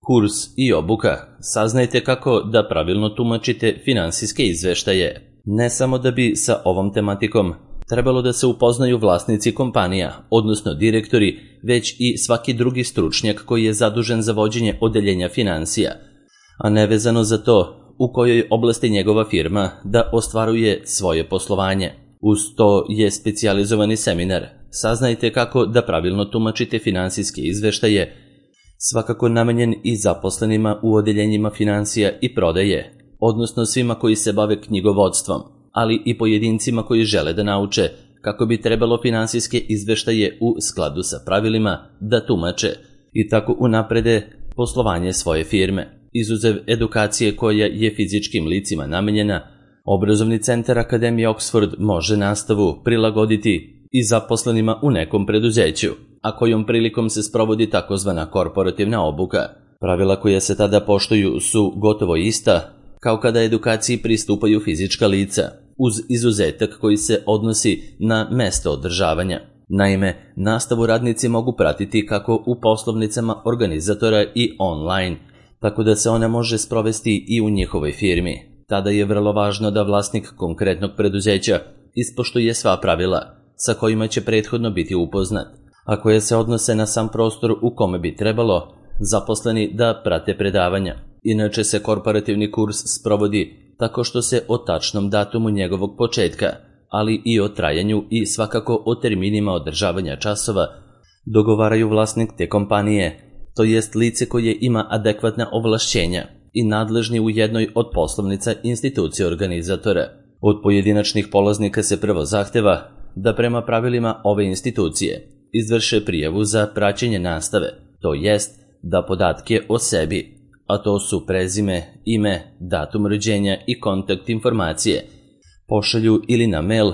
Kurs i obuka. Saznajte kako da pravilno tumačite finansijske izveštaje. Ne samo da bi sa ovom tematikom trebalo da se upoznaju vlasnici kompanija, odnosno direktori, već i svaki drugi stručnjak koji je zadužen za vođenje odeljenja finansija, a nevezano za to u kojoj oblasti njegova firma da ostvaruje svoje poslovanje. Uz to je specijalizovani seminar. Saznajte kako da pravilno tumačite finansijske izveštaje, svakako namenjen i zaposlenima u odeljenjima finansija i prodaje, odnosno svima koji se bave knjigovodstvom, ali i pojedincima koji žele da nauče kako bi trebalo finansijske izveštaje u skladu sa pravilima da tumače i tako unaprede poslovanje svoje firme. Izuzev edukacije koja je fizičkim licima namenjena, obrazovni centar Akademije Oxford može nastavu prilagoditi i zaposlenima u nekom preduzeću, a kojom prilikom se sprovodi takozvana korporativna obuka. Pravila koja se tada poštuju su gotovo ista kao kada edukaciji pristupaju fizička lica, uz izuzetak koji se odnosi na mesto održavanja. Naime, nastavu radnici mogu pratiti kako u poslovnicama organizatora i online, tako da se ona može sprovesti i u njihovoj firmi. Tada je vrlo važno da vlasnik konkretnog preduzeća ispoštuje sva pravila sa kojima će prethodno biti upoznat, a koje se odnose na sam prostor u kome bi trebalo zaposleni da prate predavanja. Inače se korporativni kurs sprovodi tako što se o tačnom datumu njegovog početka, ali i o trajanju i svakako o terminima održavanja časova dogovaraju vlasnik te kompanije, to jest lice koje ima adekvatna ovlašćenja i nadležni u jednoj od poslovnica institucije organizatora. Od pojedinačnih polaznika se prvo zahteva da prema pravilima ove institucije izvrše prijavu za praćenje nastave, to jest da podatke o sebi, a to su prezime, ime, datum rođenja i kontakt informacije, pošalju ili na mail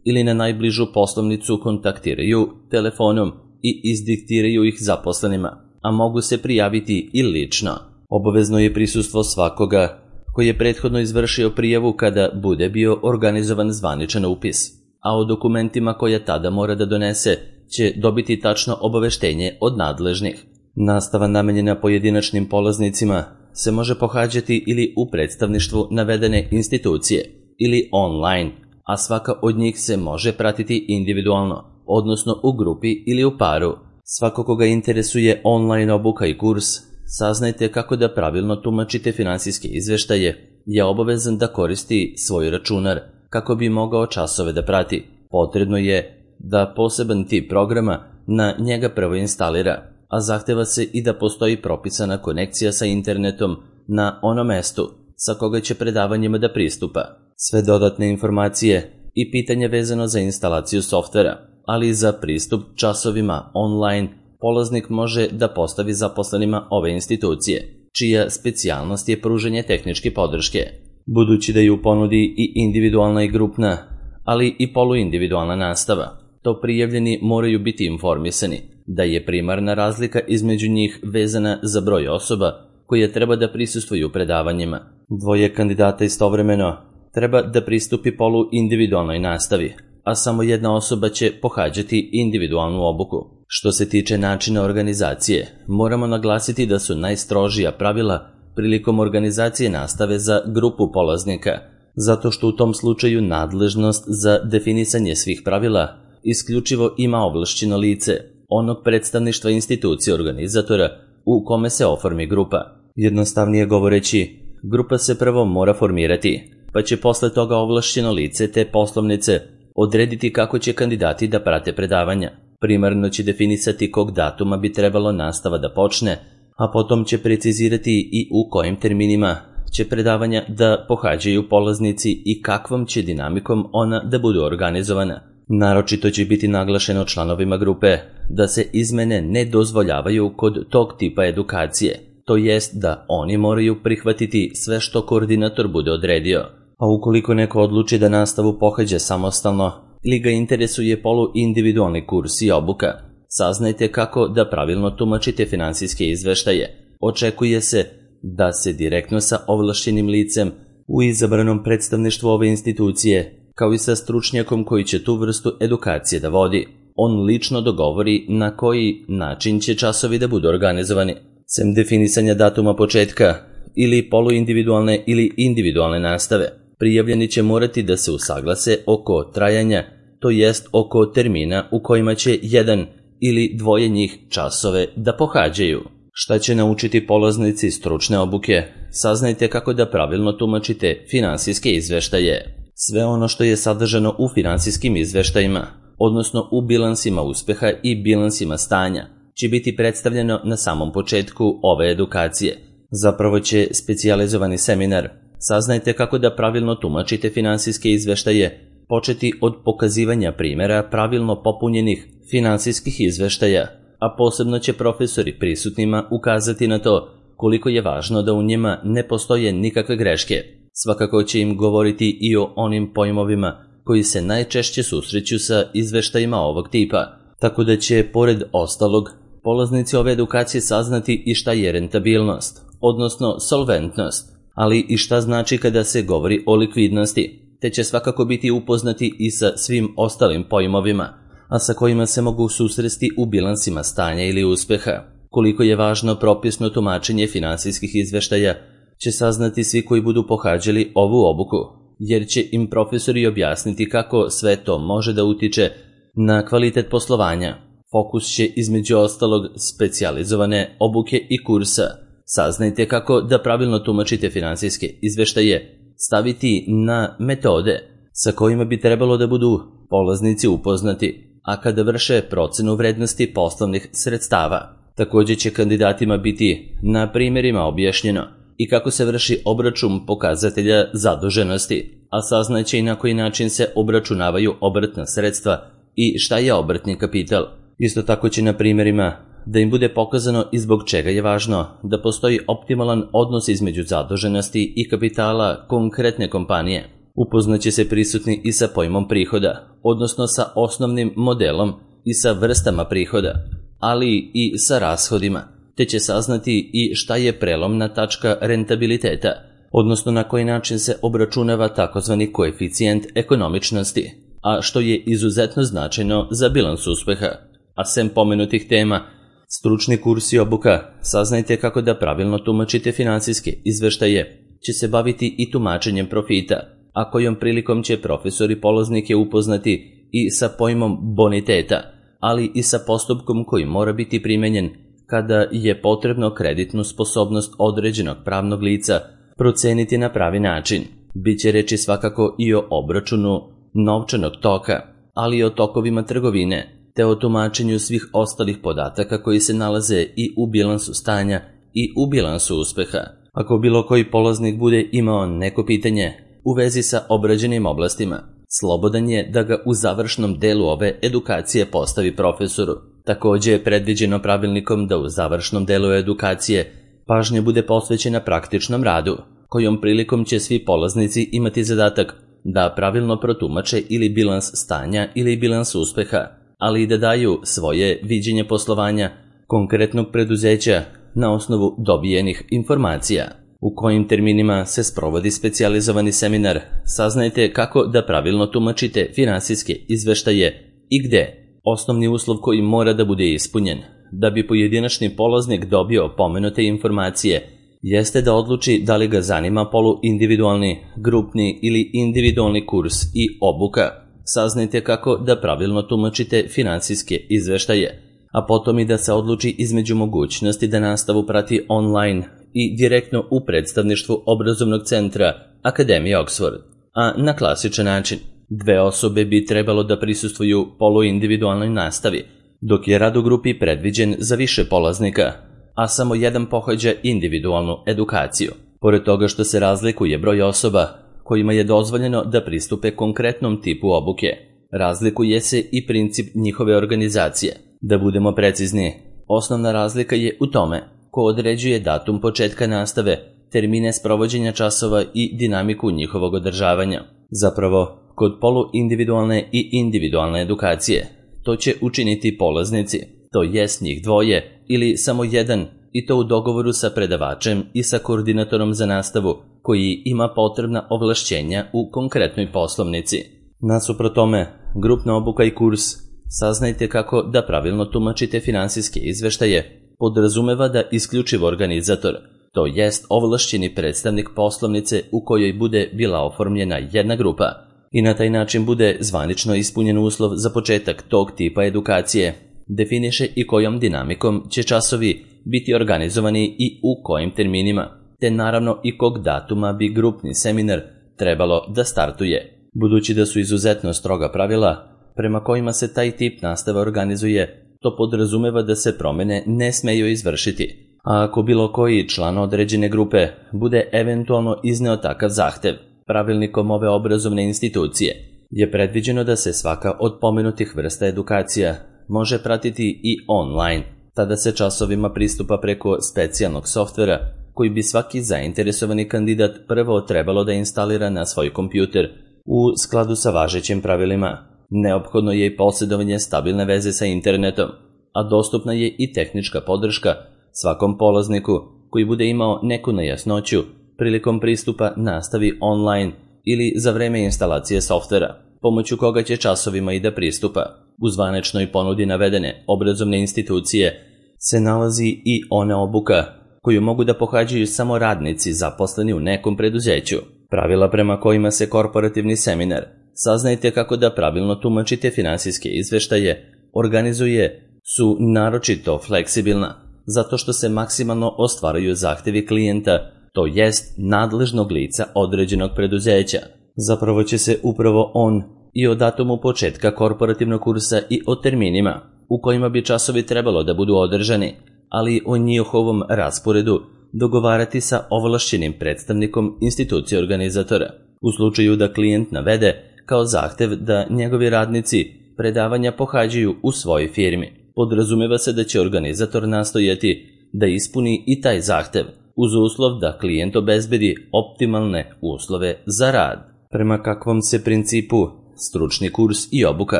ili na najbližu poslovnicu, kontaktiraju telefonom i izdiktiraju ih zaposlenima, a mogu se prijaviti i lično. Obavezno je prisustvo svakoga koji je prethodno izvršio prijavu kada bude bio organizovan zvaničan upis, a o dokumentima koje tada mora da donese će dobiti tačno obaveštenje od nadležnih. Nastava namenjena pojedinačnim polaznicima se može pohađati ili u predstavništvu navedene institucije ili online, a svaka od njih se može pratiti individualno, odnosno u grupi ili u paru. Svako koga interesuje online obuka i kurs, saznajte kako da pravilno tumačite finansijske izveštaje, je obavezan da koristi svoj računar kako bi mogao časove da prati. Potrebno je da poseban tip programa na njega prvo instalira, a zahteva se i da postoji propisana konekcija sa internetom na onom mestu sa koga će predavanjima da pristupa. Sve dodatne informacije i pitanje vezano za instalaciju softvera, ali i za pristup časovima online, polaznik može da postavi zaposlenima ove institucije, čija specijalnost je pružanje tehničke podrške. Budući da je u ponudi i individualna i grupna, ali i poluindividualna nastava, to prijavljeni moraju biti informisani da je primarna razlika između njih vezana za broj osoba koje treba da prisustvuju predavanjima. Dvoje kandidata istovremeno treba da pristupi poluindividualnoj nastavi, a samo jedna osoba će pohađati individualnu obuku. Što se tiče načina organizacije, moramo naglasiti da su najstrožija pravila prilikom organizacije nastave za grupu polaznika, zato što u tom slučaju nadležnost za definisanje svih pravila isključivo ima ovlašćeno lice onog predstavništva institucije organizatora u kome se oformi grupa. Jednostavnije govoreći, grupa se prvo mora formirati, pa će posle toga ovlašćeno lice te poslovnice odrediti kako će kandidati da prate predavanja. Primarno će definisati kog datuma bi trebalo nastava da počne, a potom će precizirati i u kojim terminima će predavanja da pohađaju polaznici i kakvom će dinamikom ona da budu organizovana. Naročito će biti naglašeno članovima grupe da se izmene ne dozvoljavaju kod tog tipa edukacije, to jest da oni moraju prihvatiti sve što koordinator bude odredio. A ukoliko neko odluči da nastavu pohađa samostalno ili ga interesuje poluindividualni kurs i obuka, saznajte kako da pravilno tumačite finansijske izveštaje. Očekuje se da se direktno sa ovlašćenim licem u izabranom predstavništvu ove institucije, kao i sa stručnjakom koji će tu vrstu edukacije da vodi, on lično dogovori na koji način će časovi da budu organizovani. Sem definisanja datuma početka ili poluindividualne ili individualne nastave, prijavljeni će morati da se usaglase oko trajanja, to jest oko termina u kojima će jedan ili dvoje njih časove da pohađaju. Šta će naučiti polaznici stručne obuke? Saznajte kako da pravilno tumačite finansijske izveštaje. Sve ono što je sadržano u finansijskim izveštajima, odnosno u bilansima uspeha i bilansima stanja, će biti predstavljeno na samom početku ove edukacije. Zapravo će specijalizovani seminar Saznajte kako da pravilno tumačite finansijske izveštaje početi od pokazivanja primjera pravilno popunjenih finansijskih izveštaja, a posebno će profesori prisutnima ukazati na to koliko je važno da u njima ne postoje nikakve greške. Svakako će im govoriti i o onim pojmovima koji se najčešće susreću sa izveštajima ovog tipa, tako da će, pored ostalog, polaznici ove edukacije saznati i šta je rentabilnost, odnosno solventnost, ali i šta znači kada se govori o likvidnosti, te će svakako biti upoznati i sa svim ostalim pojmovima, a sa kojima se mogu susresti u bilansima stanja ili uspeha. Koliko je važno propisno tumačenje finansijskih izveštaja će saznati svi koji budu pohađali ovu obuku, jer će im profesori objasniti kako sve to može da utiče na kvalitet poslovanja. Fokus će između ostalog specijalizovane obuke i kursa Saznajte kako da pravilno tumačite finansijske izveštaje staviti na metode sa kojima bi trebalo da budu polaznici upoznati, a kada vrše procenu vrednosti poslovnih sredstava. Također će kandidatima biti na primjerima objašnjeno i kako se vrši obračun pokazatelja zaduženosti, a saznaće i na koji način se obračunavaju obrtna sredstva i šta je obrtni kapital. Isto tako će na primjerima da im bude pokazano i zbog čega je važno da postoji optimalan odnos između zaduženosti i kapitala konkretne kompanije. Upoznaće se prisutni i sa pojmom prihoda, odnosno sa osnovnim modelom i sa vrstama prihoda, ali i sa rashodima, te će saznati i šta je prelomna tačka rentabiliteta, odnosno na koji način se obračunava takozvani koeficijent ekonomičnosti, a što je izuzetno značajno za bilans uspeha. A sem pomenutih tema, stručni kurs i obuka Saznajte kako da pravilno tumačite finansijske izveštaje će se baviti i tumačenjem profita, a kojom prilikom će profesori polaznike upoznati i sa pojmom boniteta, ali i sa postupkom koji mora biti primenjen kada je potrebno kreditnu sposobnost određenog pravnog lica proceniti na pravi način. Biće reči svakako i o obračunu novčanog toka, ali i o tokovima trgovine, te o tumačenju svih ostalih podataka koji se nalaze i u bilansu stanja i u bilansu uspeha. Ako bilo koji polaznik bude imao neko pitanje u vezi sa obrađenim oblastima, slobodan je da ga u završnom delu ove edukacije postavi profesoru. Također je predviđeno pravilnikom da u završnom delu edukacije pažnja bude posvećena praktičnom radu, kojom prilikom će svi polaznici imati zadatak da pravilno protumače ili bilans stanja ili bilans uspeha, ali i da daju svoje viđenje poslovanja konkretnog preduzeća na osnovu dobijenih informacija. U kojim terminima se sprovodi specijalizovani seminar Saznajte kako da pravilno tumačite finansijske izveštaje i gde. Osnovni uslov koji mora da bude ispunjen da bi pojedinačni polaznik dobio pomenute informacije jeste da odluči da li ga zanima poluindividualni, grupni ili individualni kurs i obuka. Saznajte kako da pravilno tumačite finansijske izveštaje, a potom i da se odluči između mogućnosti da nastavu prati online i direktno u predstavništvu obrazovnog centra Akademije Oxford, a na klasičan način. 2 osobe bi trebalo da prisustvuju poluindividualnoj nastavi, dok je rad u grupi predviđen za više polaznika, a samo jedan pohađa individualnu edukaciju. Pored toga što se razlikuje broj osoba kojima je dozvoljeno da pristupe konkretnom tipu obuke, razlikuje se i princip njihove organizacije. Da budemo precizni, osnovna razlika je u tome ko određuje datum početka nastave, termine sprovođenja časova i dinamiku njihovog održavanja. Zapravo, kod poluindividualne i individualne edukacije, to će učiniti polaznici, to jest njih dvoje ili samo jedan, i to u dogovoru sa predavačem i sa koordinatorom za nastavu koji ima potrebna ovlašćenja u konkretnoj poslovnici. Nasuprot tome, grupna obuka i kurs Saznajte kako da pravilno tumačite finansijske izveštaje podrazumeva da isključivo organizator, to jest ovlašćeni predstavnik poslovnice u kojoj bude bila oformljena jedna grupa i na taj način bude zvanično ispunjen uslov za početak tog tipa edukacije, definiše i kojom dinamikom će časovi biti organizovani i u kojim terminima, te naravno i kog datuma bi grupni seminar trebalo da startuje. Budući da su izuzetno stroga pravila prema kojima se taj tip nastave organizuje, to podrazumeva da se promene ne smeju izvršiti, a ako bilo koji član određene grupe bude eventualno izneo takav zahtev, pravilnikom ove obrazovne institucije je predviđeno da se svaka od pomenutih vrsta edukacija može pratiti i online. Tada se časovima pristupa preko specijalnog softvera koji bi svaki zainteresovani kandidat prvo trebalo da instalira na svoj kompjuter u skladu sa važećim pravilima. Neophodno je i posjedovanje stabilne veze sa internetom, a dostupna je i tehnička podrška svakom polazniku koji bude imao neku nejasnoću prilikom pristupa nastavi online ili za vreme instalacije softvera, pomoću koga će časovima i da pristupa. U zvaničnoj ponudi navedene obrazovne institucije se nalazi i ona obuka koju mogu da pohađaju samo radnici zaposleni u nekom preduzeću. Pravila prema kojima se korporativni seminar, saznajte kako da pravilno tumačite finansijske izveštaje, organizuje su naročito fleksibilna, zato što se maksimalno ostvaruju zahtevi klijenta, to jest nadležnog lica određenog preduzeća. Zapravo će se upravo on i o datumu početka korporativnog kursa i o terminima u kojima bi časovi trebalo da budu održani, ali o njihovom rasporedu dogovarati sa ovlašćenim predstavnikom institucije organizatora. U slučaju da klijent navede kao zahtev da njegovi radnici predavanja pohađaju u svojoj firmi, podrazumeva se da će organizator nastojati da ispuni i taj zahtev, uz uslov da klijent obezbedi optimalne uslove za rad. Prema kakvom se principu stručni kurs i obuka,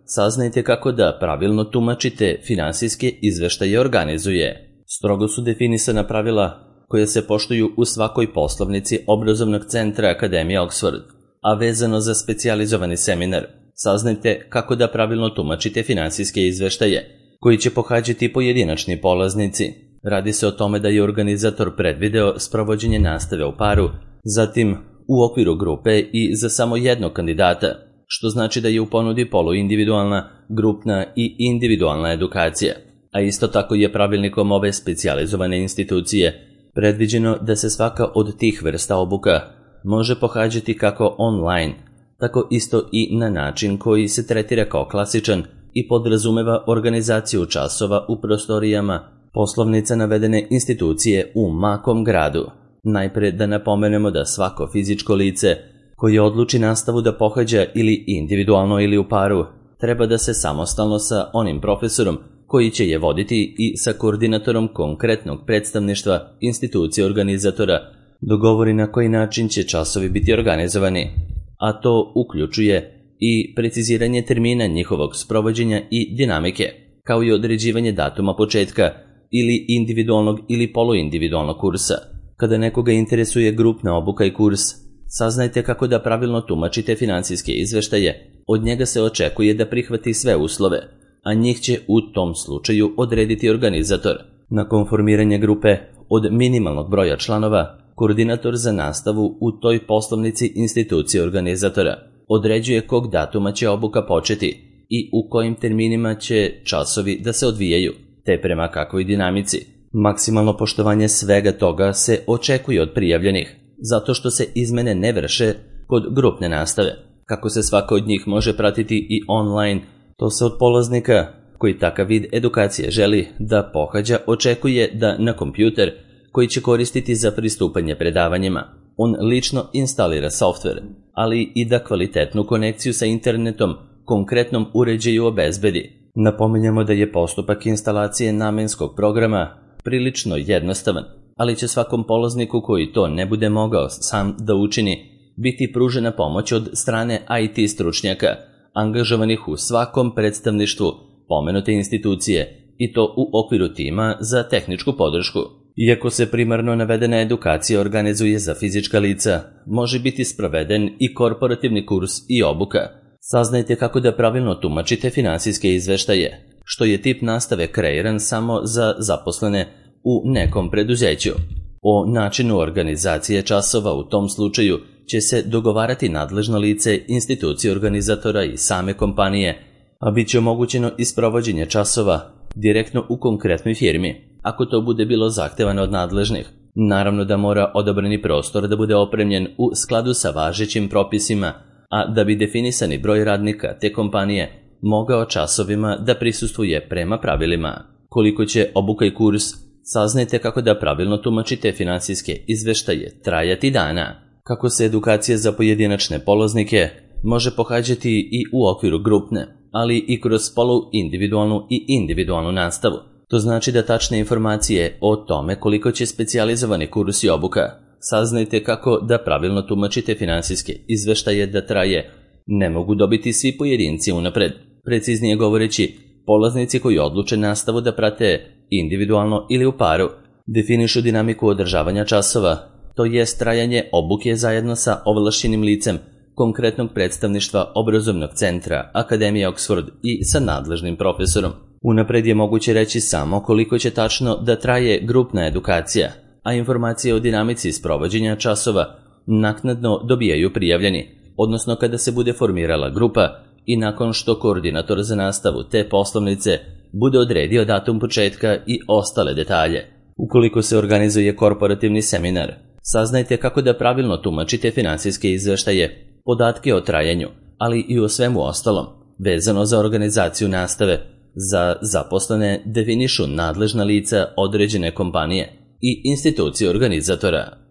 saznajte kako da pravilno tumačite finansijske izveštaje organizuje. Strogo su definisana pravila koje se poštuju u svakoj poslovnici obrazovnog centra Akademije Oxford, a vezano za specijalizovani seminar, saznajte kako da pravilno tumačite finansijske izveštaje koji će pohađati pojedinačni polaznici. Radi se o tome da je organizator predvideo sprovođenje nastave u paru, zatim u okviru grupe i za samo jednog kandidata, što znači da je u ponudi poluindividualna, grupna i individualna edukacija, a isto tako je pravilnikom ove specijalizovane institucije predviđeno da se svaka od tih vrsta obuka može pohađati kako online, tako isto i na način koji se tretira kao klasičan i podrazumeva organizaciju časova u prostorijama poslovnica navedene institucije u makom gradu. Najpre da napomenemo da svako fizičko lice koje odluči nastavu da pohađa ili individualno ili u paru, treba da se samostalno sa onim profesorom koji će je voditi i sa koordinatorom konkretnog predstavništva institucije organizatora dogovori na koji način će časovi biti organizovani, a to uključuje i preciziranje termina njihovog sprovođenja i dinamike, kao i određivanje datuma početka ili individualnog ili poluindividualnog kursa. Kada nekoga interesuje grupna obuka i kurs, saznajte kako da pravilno tumačite finansijske izveštaje, od njega se očekuje da prihvati sve uslove, a njih će u tom slučaju odrediti organizator. Nakon formiranja grupe od minimalnog broja članova, koordinator za nastavu u toj poslovnici institucije organizatora određuje kog datuma će obuka početi i u kojim terminima će časovi da se odvijaju, te prema kakvoj dinamici. Maksimalno poštovanje svega toga se očekuje od prijavljenih, zato što se izmene ne vrše kod grupne nastave. Kako se svaka od njih može pratiti i online, to se od polaznika koji takav vid edukacije želi da pohađa očekuje da na kompjuter koji će koristiti za pristupanje predavanjima, on lično instalira softver, ali i da kvalitetnu konekciju sa internetom konkretnom uređaju obezbedi. Napominjamo da je postupak instalacije namenskog programa prilično jednostavan, ali će svakom polazniku koji to ne bude mogao sam da učini biti pružena pomoć od strane IT stručnjaka, angažovanih u svakom predstavništvu pomenute institucije, i to u okviru tima za tehničku podršku. Iako se primarno navedena edukacija organizuje za fizička lica, može biti sproveden i korporativni kurs i obuka. Saznajte kako da pravilno tumačite finansijske izveštaje, što je tip nastave kreiran samo za zaposlene u nekom preduzeću. O načinu organizacije časova u tom slučaju će se dogovarati nadležno lice, institucije organizatora i same kompanije, a bit će omogućeno i sprovođenje časova direktno u konkretnoj firmi, ako to bude bilo zahtevano od nadležnih. Naravno da mora odabrani prostor da bude opremljen u skladu sa važećim propisima, a da bi definisani broj radnika te kompanije mogao časovima da prisustvuje prema pravilima. Koliko će obuka i kurs, saznajte kako da pravilno tumačite finansijske izveštaje trajati dana. Kako se edukacija za pojedinačne polaznike može pohađati i u okviru grupne, ali i kroz poluindividualnu i individualnu nastavu. To znači da tačne informacije o tome koliko će specijalizovani kurs i obuka, saznajte kako da pravilno tumačite finansijske izveštaje da traje, ne mogu dobiti svi pojedinci unapred. Preciznije govoreći, polaznici koji odluče nastavu da prate individualno ili u paru, definišu dinamiku održavanja časova, to jest trajanje obuke zajedno sa ovlašćenim licem konkretnog predstavništva obrazovnog centra Akademije Oxford i sa nadležnim profesorom. Unapred je moguće reći samo koliko će tačno da traje grupna edukacija, a informacije o dinamici sprovođenja časova naknadno dobijaju prijavljeni, odnosno kada se bude formirala grupa i nakon što koordinator za nastavu te poslovnice bude odredio datum početka i ostale detalje. Ukoliko se organizuje korporativni seminar, saznajte kako da pravilno tumačite finansijske izveštaje, podatke o trajanju, ali i o svemu ostalom. Vezano za organizaciju nastave, za zaposlene definišu nadležna lica određene kompanije i institucije organizatora.